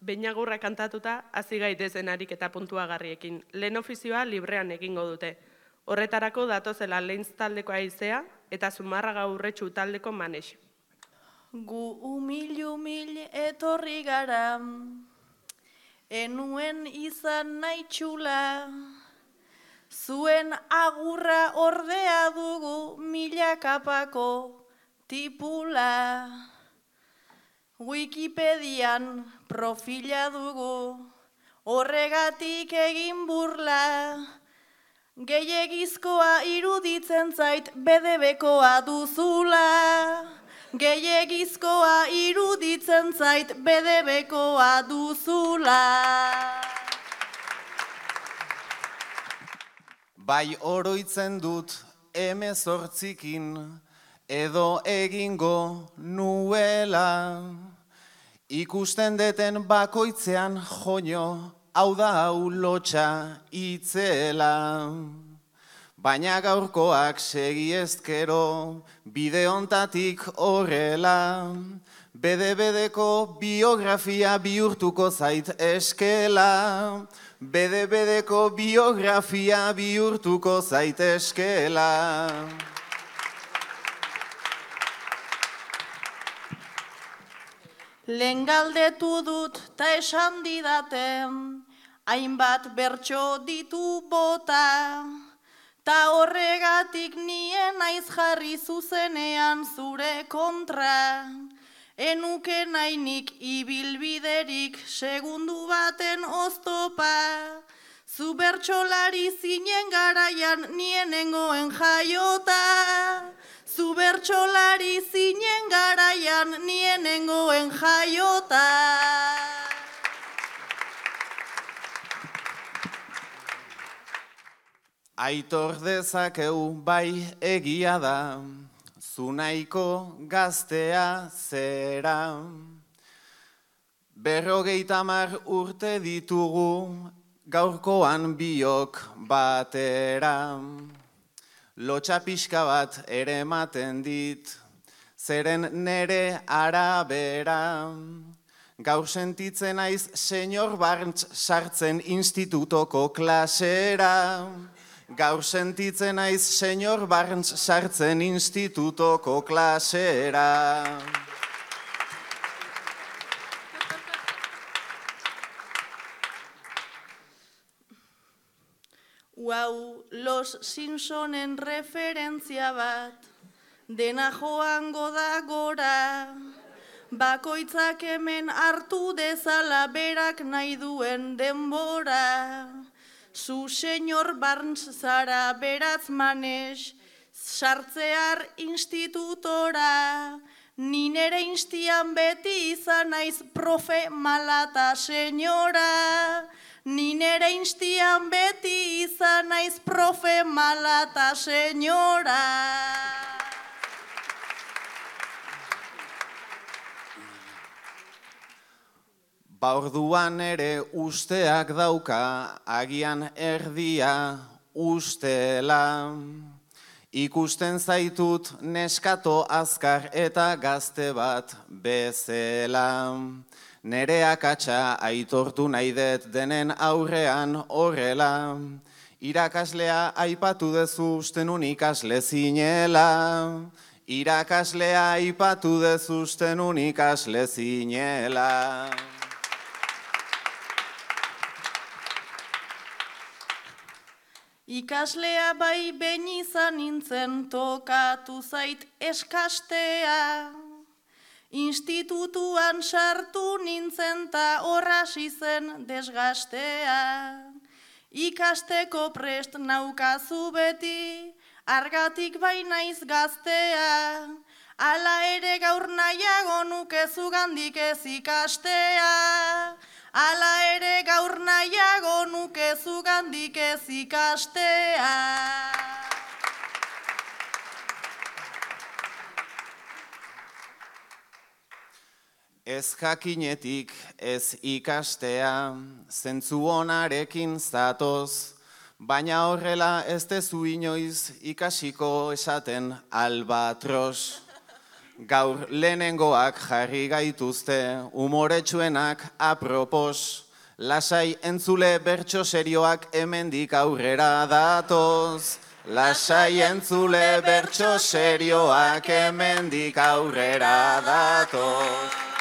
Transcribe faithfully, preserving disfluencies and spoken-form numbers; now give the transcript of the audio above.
Beinagurra kantatuta, hasi gaitezen ariketa puntuagarriekin. Lehen ofizioa librean egingo dute. Horretarako datozela Leinz taldeko aizea eta Zumarraga Urretxu taldeko Manex. Gu umil umil etorri gara, enuen izan nahi txula, zuen agurra ordea dugu milakapako tipula. Wikipedian profila dugu, horregatik egin burla, gehiegizkoa iruditzen zait bedebekoa duzula. Gehiegizkoa iruditzen zait bedebekoa duzula. Bai oroitzen dut hemezortzikin edo egingo nuela. Ikusten deten bakoitzean joño, hau da hau lotxa itzela. Baina gaurkoak segi ezkero, bide hontatik horrela. Bede-bedeko biografia bihurtuko zait eskela. Bede-bedeko biografia bihurtuko zait eskela. Lehen galdetu dut ta esan didaten, hainbat bertso ditu bota. Ta horregatik nien naiz jarri zuzenean zure kontra. Enuke nainik ibilbiderik segundu baten oztopa. Zu bertsolari zinen garaian nienengoen jaiota. Zu bertsolari zinen garaian nienengoen jaiota. Aitor dezakeu bai egia da, zu nahiko gaztea zera. Berrogeita hamar urte ditugu, gaurkoan biok batera. Lotxa pixka bat ere ematen dit, zeren nere arabera. Gaur sentitzen naiz senyor Barntz sartzen institutoko klasera. Gaur sentitzen naiz senyor Barntz sartzen institutoko klasera. Uau, Los Simpsonen referentzia bat, dena joango da gora. Bakoitzak hemen hartu dezala berak nahi duen denbora. Zu senyor Barntz zara beratz Manex, sartzear institutora. Ni nere instian beti izan naiz profe malata senyora. Ni nere instian beti izan naiz profe malata senyora. Ba orduan ere usteak dauka, agian erdia ustela. Ikusten zaitut neskato azkar eta gazte bat bezela. Nere akatsa aitortu nahi dut denen aurrean horrela. Irakaslea aipatu dezu usten un ikasle zinela. Irakaslea aipatu dezu usten un ikasle zinela. Ikaslea bai behin izan nintzen tokatu zait eskastea. Institutuan sartu nintzen ta horrasi zen desgastea. Ikasteko prest naukazu beti, argatik bai naiz gaztea. Hala ere gaur nahiago nuke zugandik ez ikastea. Hala ere gaur nahiago nuke zugandik ez ikastea. Ez jakinetik ez ikastea, zentzu onarekin zatoz, baina horrela ez dezu inoiz ikasiko esaten albatros. Gaur lehenengoak jarri gaituzte, umoretsuenak apropos. Lasai entzule bertso serioak hemendik aurrera datoz. Lasai entzule bertso serioak hemendik aurrera datoz.